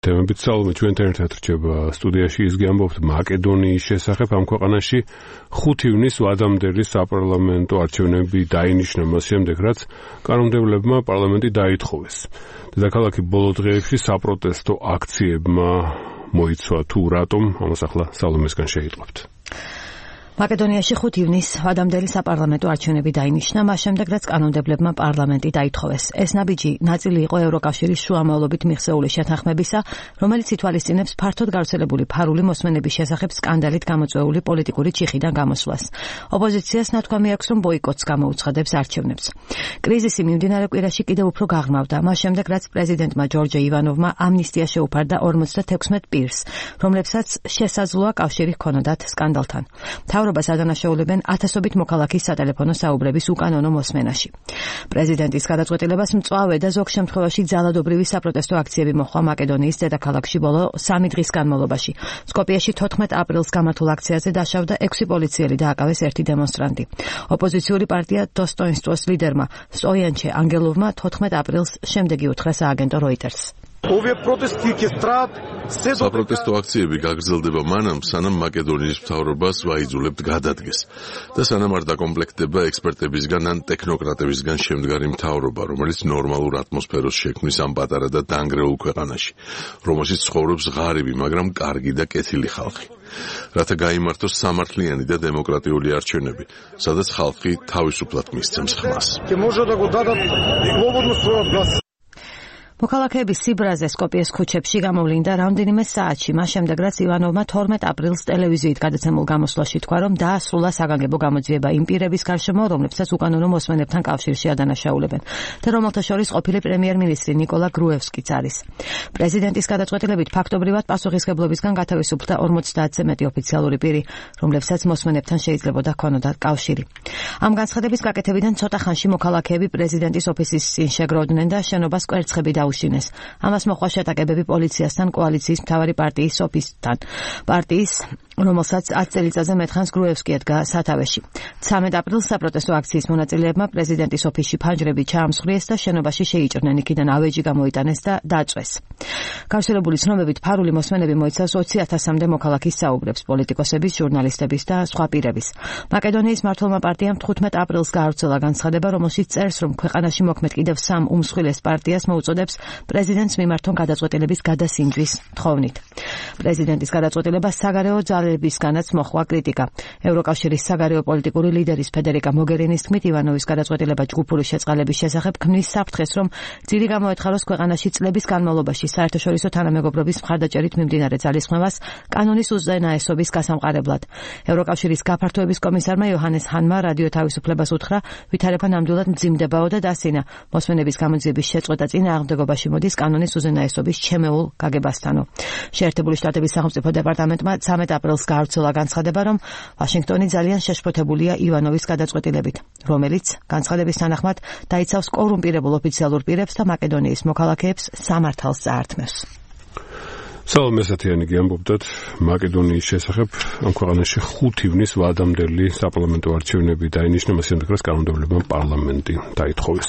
თემებით საუბრობთ ჩვენთან ერთად რჩება სტუდიაში ის გიამბობთ მაკედონიის შესახებ ამ ქვეყანაში 5 ივნისს ვადამდელი საპარლამენტო არჩევნები დაინიშნა მას შემდეგ რაც კანონმდებლებმა პარლამენტი დაითხოვეს. დედაქალაქი ბოლო დღეებში საპროტესტო აქციებმა მოიცვა თუ რატომ ამას ახლა სალომესგან შეიტყობთ. მაკედონიაში 5 ივნისს ვადამდელი საპარლამენტო არჩევნები დაინიშნა, მას შემდეგ რაც კანონმდებლებმა პარლამენტი დაითხოვეს. ეს ნაბიჯი ნაწილი იყო ევროკავშირის შუამავლობით მიღწეული შეთანხმებისა, რომელიც ითვალისწინებს ფართოდ გავრცელებული ფარული მოსმენების შესახებ სკანდალით გამოწვეული პოლიტიკური ჩიხიდან გამოსვლას. ოპოზიციას ნათქვამი აქვს, რომ ბოიკოტს გამოუცხადებს არჩევნებს. კრიზისი მიმდინარე კვირაში კიდევ უფრო გაღრმავდა, მას შემდეგ რაც პრეზიდენტმა ჯორჯ ივანოვმა ამნისტია შეუფარდა 56 პირს, რომლებსაც შესაძლოა კავშირი ჰქონოდათ სკანდალთან. მთავრობას ადანაშაულებენ ათასობით მოქალაქის სატელეფონო საუბრების უკანონო მოსმენაში. პრეზიდენტის გადაწყვეტილებას მწვავე და ზოგ შემთხვევაში ძალადობრივი საპროტესტო აქციები მოჰყვა მაკედონიის დედაქალაქში ბოლო 3 დღის განმავლობაში. სკოპიეში 14 აპრილს გამართულ აქციაზე დაშავდა 6 პოლიციელი და აკავეს 1 დემონსტრანტი. ოპოზიციური პარტია დოსტოინსტვოს ლიდერმა სტოიანჩე ანგელოვმა 14 აპრილს შემდეგი უთხრა სააგენტო როიტერს. საპროტესტო აქციები გაგრძელდება მანამ, სანამ მაკედონიის მთავრობას ვაიძულებთ გადადგეს და სანამ არ დაკომპლექტდება ექსპერტებისგან ან ტექნოკრატებისგან შემდგარი მთავრობა, რომელიც ნორმალურ ატმოსფეროს შექმნის ამ პატარა და დანგრეულ ქვეყანაში, რომელშიც ცხოვრობს ღარიბი, მაგრამ კარგი და კეთილი ხალხი. რათა გაიმართოს სამართლიანი და დემოკრატიული არჩევნები, სადაც ხალხი თავისუფლად მისცემს ხმას. მოქალაქეების სიბრაზე სკოპიეს ქუჩებში გამოვლინდა რამდენიმე საათში, მას შემდეგ რაც ივანოვმა 12 აპრილს ტელევიზიით გადაცემულ გამოსვლაში თქვა, რომ დაასრულა საგანგებო გამოძიება იმ პირების გარშემო, რომლებსაც უკანონო მოსმენებთან კავშირში ადანაშაულებენ და რომელთა შორის ყოფილი პრემიერ-მინისტრი ნიკოლა გრუევსკიც არის. პრეზიდენტის გადაწყვეტილებით ფაქტობრივად პასუხისმგებლობისგან გათავისუფლდა 50-ზე მეტი ოფიციალური პირი, რომლებსაც მოსმენებთან შეიძლებოდა ჰქონოდათ კავშირი. ამ განცხადების გაკეთებიდან ცოტა ხანში მოქალაქეები პრეზიდენტის ოფისის წინ შეგროვდნენ და შენობას კვერცხები დაუშინეს. ამას მოყვა შეტაკებები პოლიციასთან კოალიციის მთავარი პარტიის ოფისთან. პარტიის, რომელსაც 10 წელიწადზე მეტხანს გრუევსკი ედგა სათავეში. 13 აპრილს საპროტესტო აქციის მონაწილეებმა პრეზიდენტის ოფისში ფანჯრები ჩაამსხვრიეს და შენობაში შეიჭრნენ, იქიდან ავეჯი გამოიტანეს და დაწვეს. გავრცელებული ცნობებით ფარული მოსმენები მოიცავს 20,000-მდე მოქალაქის საუბრებს, პოლიტიკოსების, ჟურნალისტების და სხვა პირების. მაკედონიის მმართველმა პარტიამ 15 აპრილს გაავრცელა განცხადება, რომელშიც წერს, რომ ქვეყანაში მოქმედ კიდევ 3 უმსხვილეს პარტიას მოუწოდებს პრეზიდენტს მიმართონ გადაწყვეტილების გადასინჯვის თხოვნით. პრეზიდენტის გადაწყვეტილება საგარეო ძალებისგანაც მოჰყვა კრიტიკა. ევროკავშირის საგარეო პოლიტიკური ლიდერის ფედერიკა მოგერინის თქმით, ივანოვის გადაწყვეტილება ჯგუფური შეწყალების შესახებ ქმნის საფრთხეს, რომ ძირი გამოეთხაროს ქვეყანაში წლების განმავლობაში საერთაშორისო თანამეგობრობის მხარდაჭერით მიმდინარე ძალისხმევას კანონის უზენაესობის გასამყარებლად. ევროკავშირის გაფართოების კომისარმა იოჰანეს ჰანმა რადიო თავისუფლებას უთხრა, ვითარება ნამდვილად მძიმდებაო და დასინა. მოსმენების გამოძიების შეწყვეტა წინააღმდეგობაში მოდის კანონის უზენაესობის ჩემეულ გაგებასთანო. შეერთებული შტატების სახელმწიფო დეპარტამენტმა 13 აპრილს გაავრცელა განცხადება, რომ ვაშინგტონი ძალიან შეშფოთებულია ივანოვის გადაწყვეტილებით, რომელიც განცხადების თანახმად დაიცავს კორუმპირებულ ოფიციალურ პირებს და მაკედონიის მოქალაქეებს სამართალს წაართმევს. სალომესათიანი გიამბობდათ მაკედონიის შესახებ. ამ ქვეყანაში 5 ივნისს ვადამდელი საპარლამენტო არჩევნები დაინიშნა, მას შემდეგ რაც კანონმდებლებმა პარლამენტი დაითხოვეს.